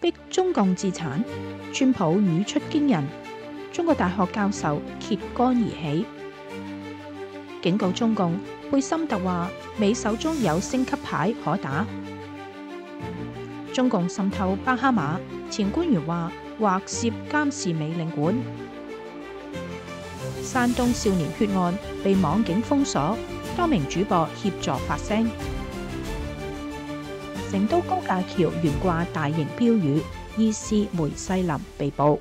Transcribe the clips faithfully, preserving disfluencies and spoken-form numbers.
逼中共自產，川普語出驚人，中國大學教授揭竿而起，警告中共。貝森特話美手中有升級牌可打。中共滲透巴哈馬，前官員話或涉監視美領館。山東少年血案被網警封鎖，多名主播協助發聲。成都高架橋懸掛大型標語，疑似梅世林被捕。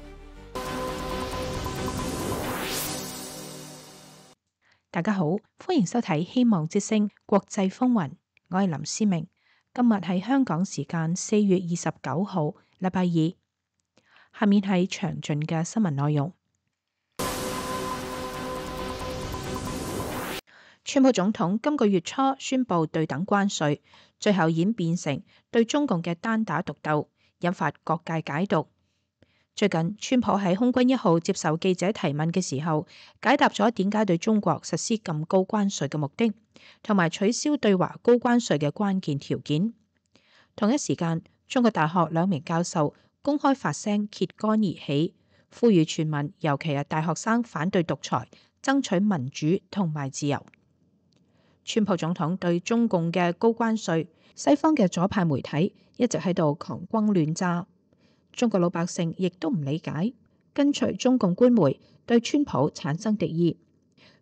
大家好，歡迎收睇《希望之聲》國際風雲，我係林思明。今日係香港時間四月二十九號，禮拜二。下面係詳盡嘅新聞內容。川普總統今個月初宣布對等關稅，最後演變成對中共嘅單打獨鬥，引發各界解讀。最近，川普喺空軍一號接受記者提問嘅時候，解答咗點解對中國實施咁高關稅嘅目的，同埋取消對華高關稅嘅關鍵條件。同一時間，中國大學兩名教授公開發聲揭竿而起，呼籲全民，尤其係大學生反對獨裁，爭取民主同埋自由。川普總統對中共嘅高關稅，西方嘅左派媒體一直喺度狂轟亂炸。中國老百姓亦都唔理解，跟隨中共官媒對川普產生敵意。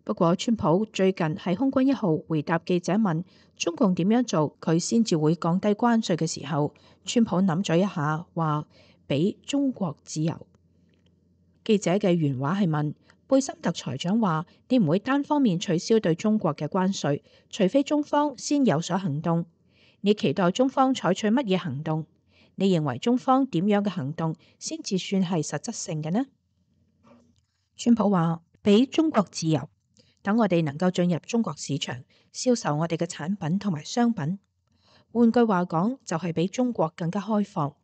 不過，川普最近喺空軍一號回答記者問中共點樣做佢先至會降低關稅嘅時候，川普諗咗一下，話俾中國自由。記者嘅原話係問貝森特財長話：你唔會單方面取消對中國嘅關稅，除非中方先有所行動。你期待中方採取乜嘢行動？你認為中方點樣嘅行動先至算係實質性嘅呢？川普話：俾中國自由，等我哋能夠進入中國市場，銷售我哋嘅產品同埋商品。換句話講，就係比中國更加開放。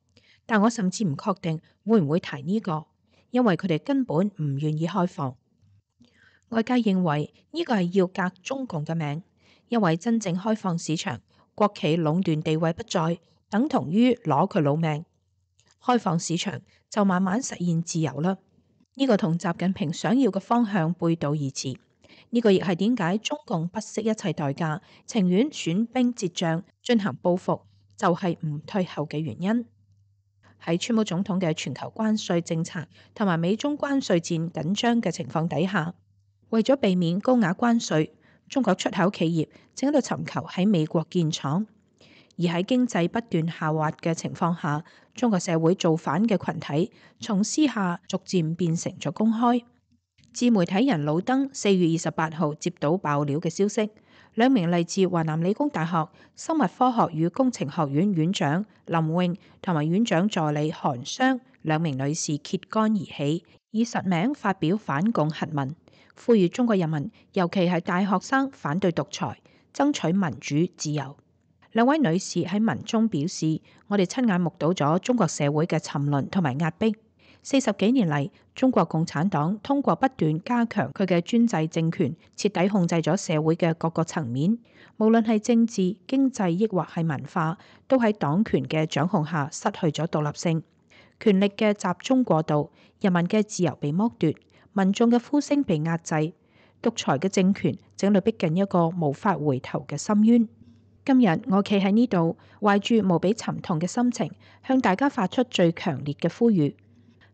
但我甚至唔確定會唔會提呢個，因為佢哋根本唔願意開放。外界認為呢個係要革中共嘅命，因為真正開放市場，國企壟斷地位不再，等同於攞佢老命。開放市場就慢慢實現自由啦。呢個同習近平想要嘅方向背道而馳。呢個亦係點解中共不惜一切代價，情願損兵折將進行報復，就係唔退後嘅原因。喺川普總統嘅全球關稅政策同埋美中關稅戰緊張嘅情況底下，為咗避免高額關稅，中國出口企業正喺度尋求喺美國建廠。而喺經濟不斷下滑嘅情況下，中國社會造反嘅群體從私下逐漸變成咗公開。自媒體人老登四月二十八號接到爆料嘅消息，兩名嚟自華南理工大學生物科學與工程學院院長林穎同埋院長助理韓湘兩名女士揭竿而起，以實名發表反共檄文，呼籲中國人民，尤其係大學生反對獨裁，爭取民主自由。兩位女士喺文中表示：我哋親眼目睹咗中國社會嘅沉淪同埋壓迫。四十幾年嚟，中國共產黨通過不斷加強佢嘅專制政權，徹底控制咗社會嘅各個層面，無論係政治、經濟，抑或係文化，都喺黨權嘅掌控下失去咗獨立性。權力嘅集中過度，人民嘅自由被剝奪，民眾嘅呼聲被壓制，獨裁嘅政權正喺度逼近一個無法回頭嘅深淵。今日我企喺呢度，懷住無比沉痛嘅心情，向大家發出最強烈嘅呼籲，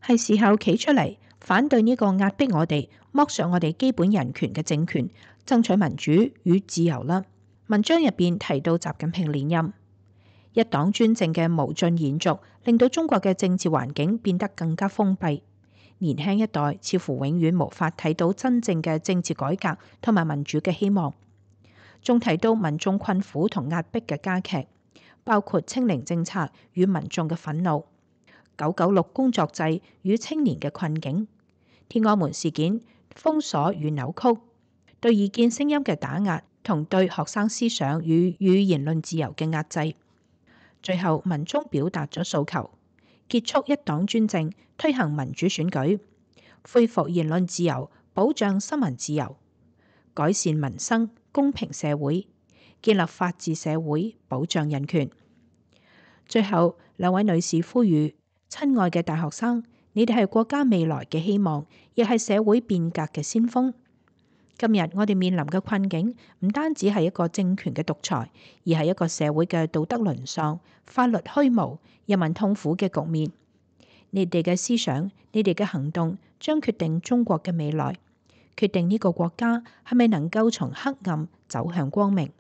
係時候企出嚟反對呢個壓迫我哋、剝削我哋基本人權嘅政權，爭取民主與自由啦。文章入邊提到習近平連任，一黨專政嘅無盡延續，令到中國嘅政治環境變得更加封閉，年輕一代似乎永遠無法睇到真正嘅政治改革同埋民主嘅希望。仲提到民眾困苦同壓迫嘅加劇，包括清零政策與民眾嘅憤怒、九九六工作制與青年嘅困境、天安門事件封鎖與扭曲、對異見聲音嘅打壓同對學生思想與語言論自由嘅壓制。最後文中表達咗訴求：結束一黨專政，推行民主選舉，恢復言論自由，保障新聞自由，改善民生，公平社會，建立法治社會，保障人權。最後兩位女士呼籲親愛嘅大學生，你哋係國家未來嘅希望，亦係社會變革嘅先鋒。今日我哋面臨嘅困境唔單止係一個政權嘅獨裁，而係一個社會嘅道德淪喪、法律虛無、人民痛苦嘅局面。你哋嘅思想、你哋嘅行動將決定中國嘅未來，決定呢個國家係咪能夠從黑暗走向光明。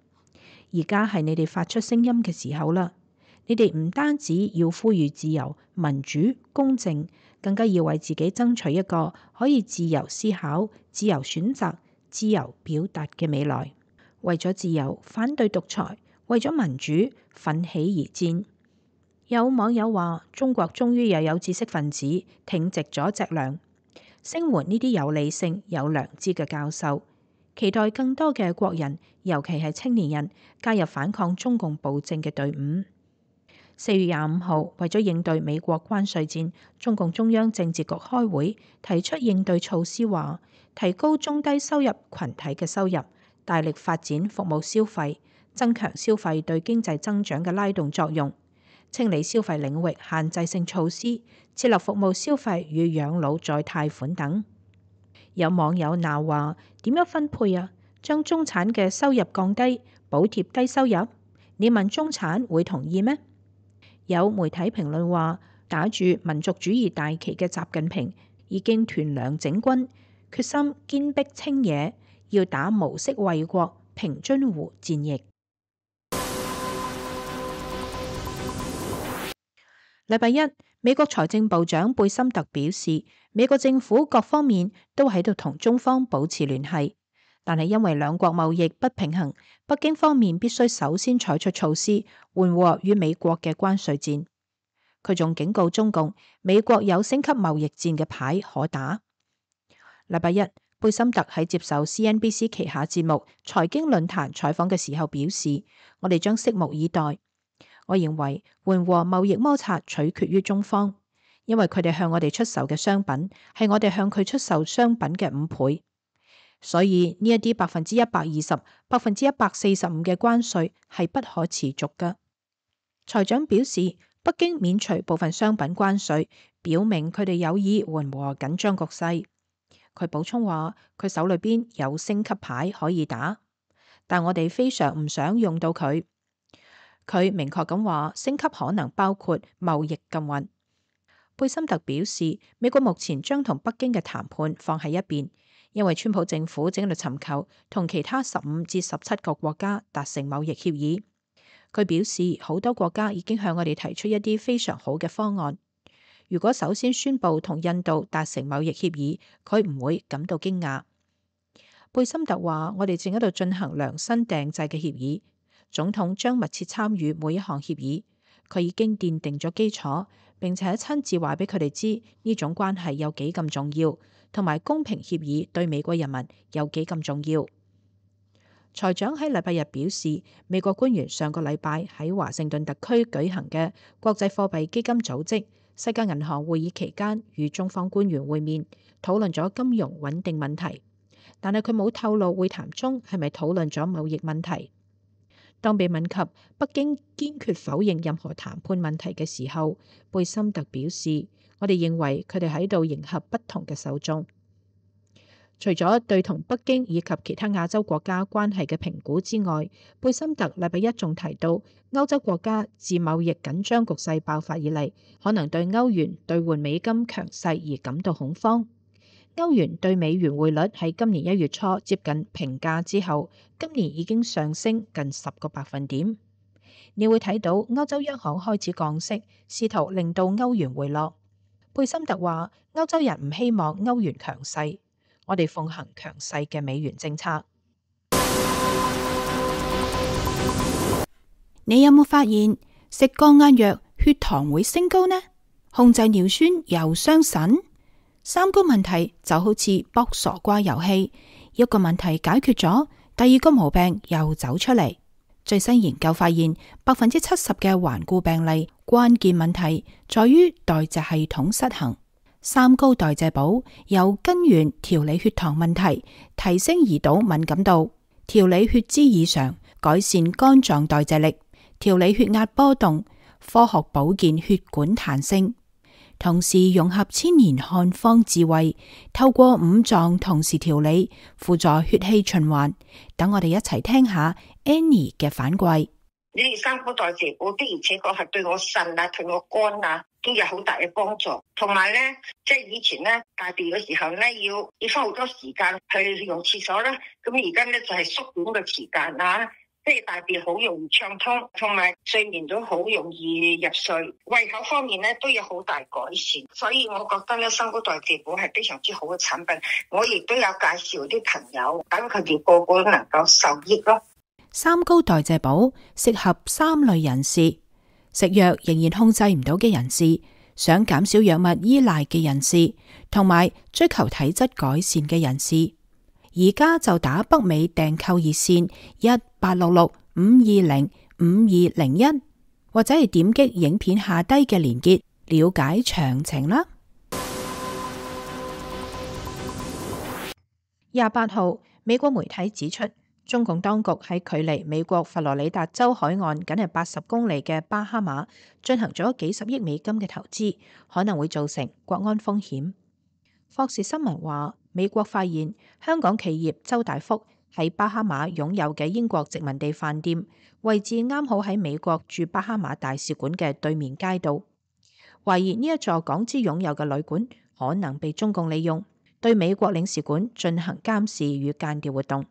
而家係你哋發出聲音嘅時候啦！你哋唔單止要呼籲自由、民主、公正，更加要為自己爭取一個可以自由思考、自由選擇、自由表達嘅未來。為咗自由，反對獨裁；為咗民主，奮起而戰。有網友話：中國終於又有知識分子挺直咗脊梁，聲援呢啲有理性、有良知嘅教授，期待更多嘅國人，尤其係青年人，加入反抗中共暴政嘅隊伍。四月廿五號，為咗應對美國關稅戰，中共中央政治局開會提出應對措施，話提高中低收入群體嘅收入，大力發展服務消費，增強消費對經濟增長嘅拉動作用，清理消費領域限制性措施，設立服務消費與養老再貸款等。有網友鬧話：點樣分配啊？將中產嘅收入降低，補貼低收入？你問中產會同意咩？有媒體評論話，打住民族主義大旗嘅習近平已經屯糧整軍，決心堅壁清野，要打毛式衛國平津湖戰役。禮拜一，美國財政部長貝森特表示，美國政府各方面都喺度同中方保持聯繫，但係因為兩國貿易不平衡，北京方面必須首先採取措施緩和與美國嘅關稅戰。佢仲警告中共，美國有升級貿易戰嘅牌可打。禮拜一，貝森特喺接受 C N B C 旗下節目財經論壇採訪嘅時候表示，我哋將拭目以待。我認為緩和貿易摩擦取決於中方，因為佢哋向我哋出售嘅商品係我哋向佢出售商品嘅五倍，所以呢一啲百分之一百二十、百分之一百四十五嘅關稅係不可持續㗎。財長表示，北京免除部分商品關稅，表明佢哋有意緩和緊張局勢。佢補充話，佢手裏邊有升級牌可以打，但我哋非常唔想用到佢。佢明確咁話，升級可能包括貿易禁運。貝森特表示，美國目前將同北京嘅談判放喺一邊，因為川普政府正喺度尋求同其他十五至十七個國家達成貿易協議。佢表示，好多國家已經向我哋提出一啲非常好嘅方案。如果首先宣布同印度達成貿易協議，佢唔會感到驚訝。貝森特話，我哋正喺度進行量身訂製嘅協議。總統將密切參與每一項協議，佢已經奠定咗基礎，並且親自話俾佢哋知呢種關係有幾咁重要，同埋公平協議對美國人民有幾咁重要。財長喺禮拜日表示，美國官員上個禮拜喺華盛頓特區舉行嘅國際貨幣基金組織世界銀行會議期間，與中方官員會面，討論咗金融穩定問題，但係佢冇透露會談中係咪討論咗貿易問題。當被問及北京堅決否認任何談判問題嘅時候，貝森特表示，我哋認為佢哋喺度迎合不同嘅受眾。除咗對同北京以及其他亞洲國家關係嘅評估之外，貝森特禮拜一仲提到，歐洲國家自貿易緊張局勢爆發以嚟，可能對歐元兌換美金強勢而感到恐慌。歐元對美元匯率喺今年一月初接近平價之後，今年已經上升近十個百分點。你會睇到歐洲央行開始降息，試圖令到歐元回落。貝森特話：歐洲人唔希望歐元強勢，我哋奉行強勢嘅美元政策。你有冇發現食降壓藥血糖會升高呢？控制尿酸又傷腎？三高問題就好似卜傻瓜遊戲，一個問題解決咗，第二個毛病又走出嚟。最新研究發現，百分之七十嘅頑固病例關鍵問題在於代謝系統失衡。三高代謝寶由根源調理血糖問題，提升胰島敏感度，調理血脂異常，改善肝臟代謝力，調理血壓波動，科學保健血管彈性。同時融合千年漢方智慧，透過五臟同時調理，輔助血氣循環。等我哋一齊聽下 Annie 嘅反饋。你哋三高代謝補的而且確係對我腎啊、對我肝啊都有好大嘅幫助。同埋咧，即係以前咧大便嘅時候咧，要要花好多時間去用廁所啦。咁而家咧就係縮短嘅時間啊，即係大便好容易暢通，同埋睡眠都好容易入睡。胃口方面咧都有好大改善，所以我覺得咧三高代謝補係非常之好嘅產品。我亦都有介紹啲朋友，等佢哋個個都能夠受益咯。三高代謝補適合三類人士：食藥仍然控制唔到嘅人士，想減少藥物依賴嘅人士，同埋追求體質改善嘅人士。而家就打北美訂購熱線一八六六五二零五二零一，或者係點擊影片下低嘅連結了解詳情啦。廿八號，美國媒體指出，中共當局喺距離美國佛羅里達州海岸僅係八十公里嘅巴哈馬進行咗幾十億美金嘅投資，可能會造成國安風險。霍士新聞話，美國發現香港企業周大福喺巴哈馬擁有嘅英國殖民地飯店位置啱好喺美國駐巴哈馬大使館嘅對面街道，懷疑呢一座港資擁有嘅旅館可能被中共利用，對美國領事館進行監視與間諜活動。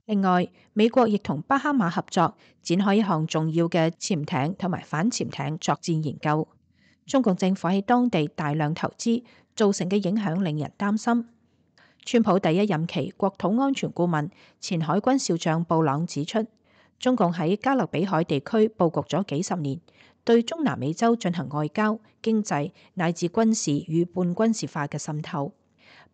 另外，美國亦同巴哈馬合作，展開一項重要嘅潛艇同埋反潛艇作戰研究。中共政府喺當地大量投資造成嘅影響令人擔心。川普第一任期國土安全顧問、前海軍少將布朗指出，中共喺加勒比海地區佈局咗幾十年，對中南美洲進行外交、經濟乃至軍事與半軍事化嘅滲透。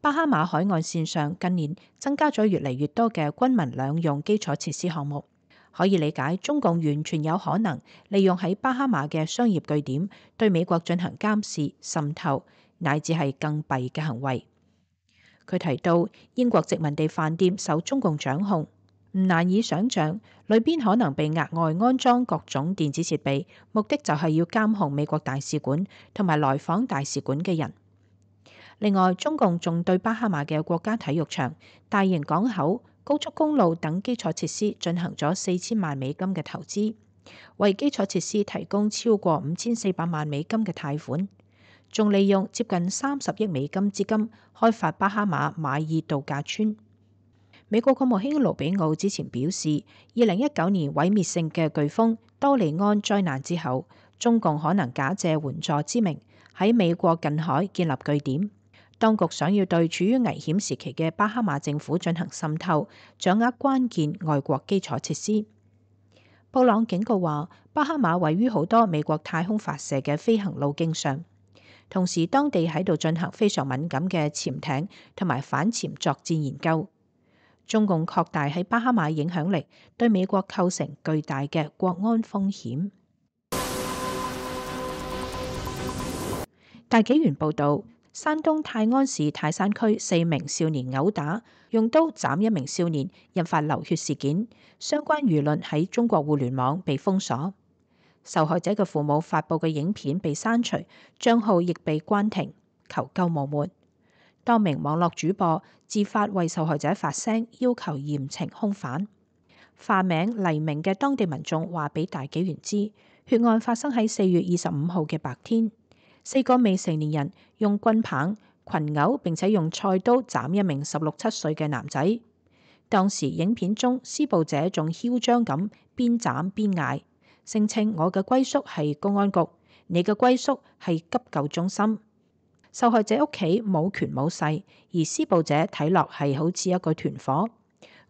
巴哈馬海岸線上近年增加咗越嚟越多嘅軍民兩用基礎設施項目，可以理解中共完全有可能利用喺巴哈馬嘅商業據點對美國進行監視、滲透，乃至係更弊嘅行為。佢提到英國殖民地飯店受中共掌控，唔難以想像裏邊可能被額外安裝各種電子設備，目的就係要監控美國大使館同埋來訪大使館嘅人。另外，中共仲對巴哈馬嘅國家體育場、大型港口、高速公路等基礎設施進行咗四千萬美金嘅投資，為基礎設施提供超過五千四百萬美金嘅貸款，仲利用接近三十億美金資金開發巴哈馬馬爾度假村。美國國務卿盧比奧之前表示，二零一九年毀滅性嘅颶風多利安災難之後，中共可能假借援助之名喺美國近海建立據點。當局想要對處於危險時期嘅巴哈馬政府進行滲透，掌握關鍵外國基礎設施。布朗警告話，巴哈馬位於好多美國太空發射嘅飛行路徑上，同時當地喺度進行非常敏感嘅潛艇同埋反潛作戰研究。中共擴大喺巴哈馬影響力，對美國構成巨大嘅國安風險。大紀元報導。山東泰安市泰山區四名少年毆打，用刀斬一名少年，引發流血事件。相關輿論喺中國互聯網被封鎖，受害者嘅父母發布嘅影片被刪除，賬號亦被關停，求救無門。多名網絡主播自發為受害者發聲，要求嚴懲兇犯。化名黎明嘅當地民眾話俾大紀元知，血案發生喺四月二十五號嘅白天。四個未成年人用棍棒、群毆並且用菜刀斬一名十六七歲嘅男仔。當時影片中施暴者仲囂張咁邊斬邊嗌，聲稱我嘅歸宿係公安局，你嘅歸宿係急救中心。受害者屋企冇權冇勢，而施暴者睇落係好似一個團伙，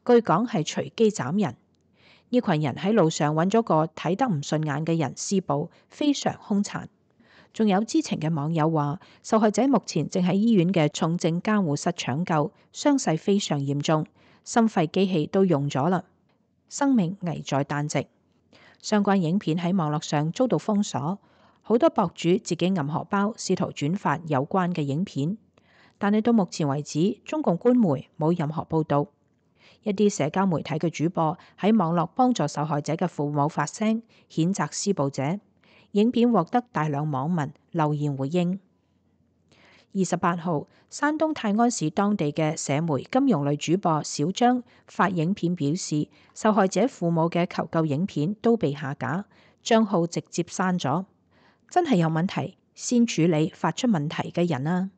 據講係隨機斬人。呢群人喺路上揾咗個睇得唔順眼嘅人施暴，非常兇殘。仲有知情嘅網友話，受害者目前正喺醫院嘅重症監護室搶救，傷勢非常嚴重，心肺機器都用咗啦，生命危在旦夕。相關影片喺網絡上遭到封鎖，好多博主自己揞荷包，試圖轉發有關嘅影片，但係到目前為止，中共官媒冇任何報導。一啲社交媒體嘅主播喺網絡幫助受害者嘅父母發聲，譴責施暴者。影片獲得大量網民留言回應。二十八號，山東泰安市當地嘅社媒金融類主播小張發影片表示，受害者父母嘅求救影片都被下架，賬號直接刪咗。真係有問題，先處理發出問題嘅人啊！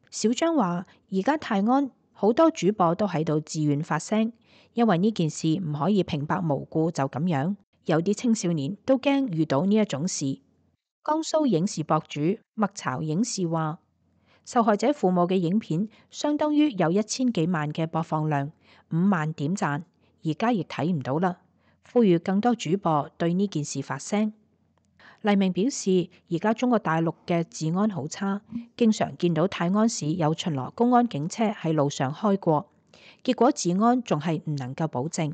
小張話：而家泰安好多主播都喺度自願發聲，因為呢件事唔可以平白無故就咁樣。有啲青少年都驚遇到呢一種事。江蘇影視博主麥巢影視話：受害者父母嘅影片相當於有一千幾萬嘅播放量，五萬點讚，而家亦睇唔到啦。呼籲更多主播對呢件事發聲。黎明表示，而家中國大陸嘅治安好差，經常見到泰安市有巡邏公安警車喺路上開過，結果治安仲係唔能夠保證。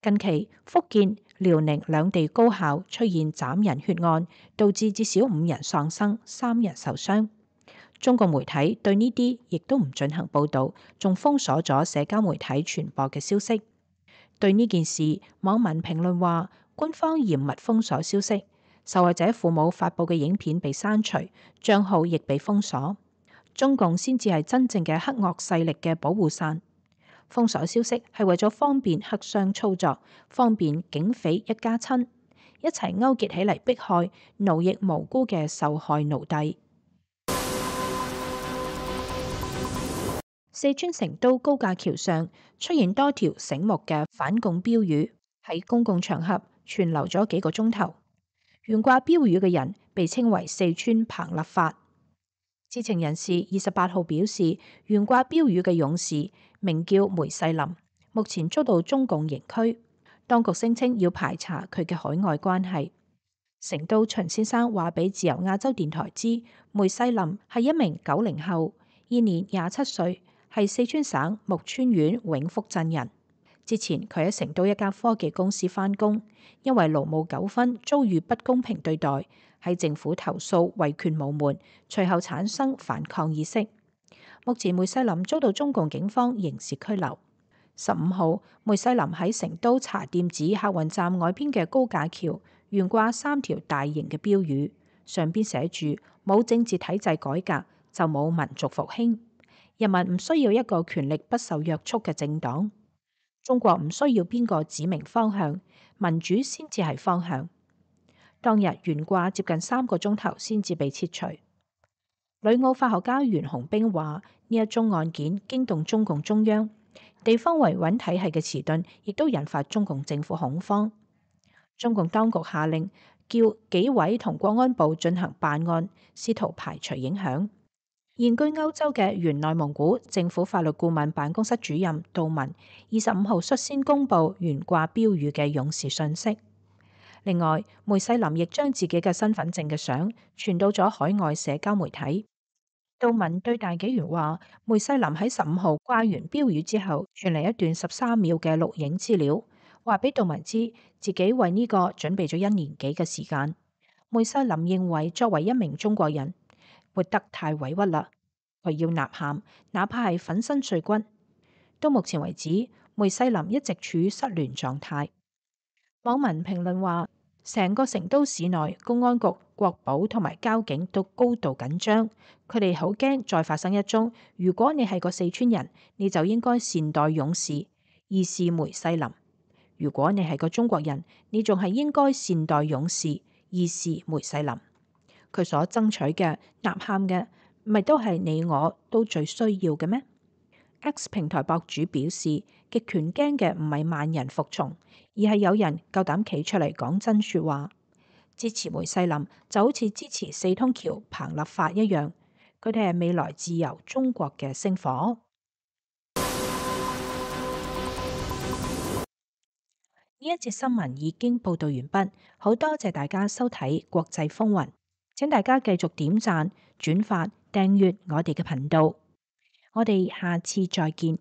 近期福建、遼寧兩地高校出現斬人血案，導致至少五人喪生，三人受傷。中國媒體對呢啲亦都唔進行報導，仲封鎖咗社交媒體傳播嘅消息。對呢件事，網民評論話：官方嚴密封鎖消息，受害者父母發布嘅影片被刪除，帳號亦被封鎖。中共先至係真正嘅黑惡勢力嘅保護傘。封鎖消息係為咗方便黑箱操作，方便警匪一家親一齊勾結起嚟迫害、奴役無辜嘅受害奴隸。四川成都高架橋上出現多條醒目嘅反共標語，喺公共場合存留咗幾個鐘頭。懸掛標語嘅人被稱為四川彭立發。知情人士二十八號表示，懸掛標語嘅勇士名叫梅世林，目前遭到中共刑拘，當局聲稱要排查佢嘅海外關係。成都秦先生話俾自由亞洲電台知，梅世林係一名九零後，現年廿七歲，係四川省木川縣永福鎮人。之前佢喺成都一家科技公司返工，因為勞務糾紛遭遇不公平對待，喺政府投訴維權無門，隨後產生反抗意識。目前梅世林遭到中共警方刑事拘留。十五號，梅世林喺成都茶店子客運站外邊嘅高架橋懸掛三條大型嘅標語，上邊寫住：冇政治體制改革就冇民族復興，人民唔需要一個權力不受約束嘅政黨。中國唔需要邊個指明方向，民主先至係方向。當日懸掛接近三個鐘頭先至被撤除。旅澳法學家袁洪兵話：呢一宗案件驚動中共中央，地方維穩體系嘅遲鈍，亦都引發中共政府恐慌。中共當局下令叫紀委同國安部進行辦案，試圖排除影響。現居歐洲嘅原內蒙古政府法律顧問辦公室主任杜文二十五號率先公布懸掛標語嘅勇士信息。另外，梅世林亦將自己嘅身份證嘅相傳到咗海外社交媒體。杜文對大紀元話：梅世林喺十五號掛完標語之後，傳嚟一段十三秒嘅錄影資料，話俾杜文知自己為呢個準備咗一年幾嘅時間。梅世林認為作為一名中國人，活得太委屈啦，佢要吶喊，哪怕係粉身碎骨。到目前為止，梅世林一直處於失聯狀態。網民評論話，成個成都市內公安局、國保同埋交警都高度緊張，佢哋好驚再發生一宗。如果你係個四川人，你就應該善待勇士，義士梅世林；如果你係個中國人，你仲係應該善待勇士，義士梅世林。佢所爭取嘅、吶喊嘅，咪都係你我都最需要嘅咩？ X 平台博主表示，極權驚嘅唔係萬人服從，而係有人夠膽企出嚟講真說話。支持梅世林就好似支持四通橋彭立發一樣，佢哋係未來自由中國嘅星火。呢一節新聞已經報道完畢，好多謝大家收睇國際風雲。請大家繼續點讚、轉發、訂閱我哋嘅頻道，我哋下次再見。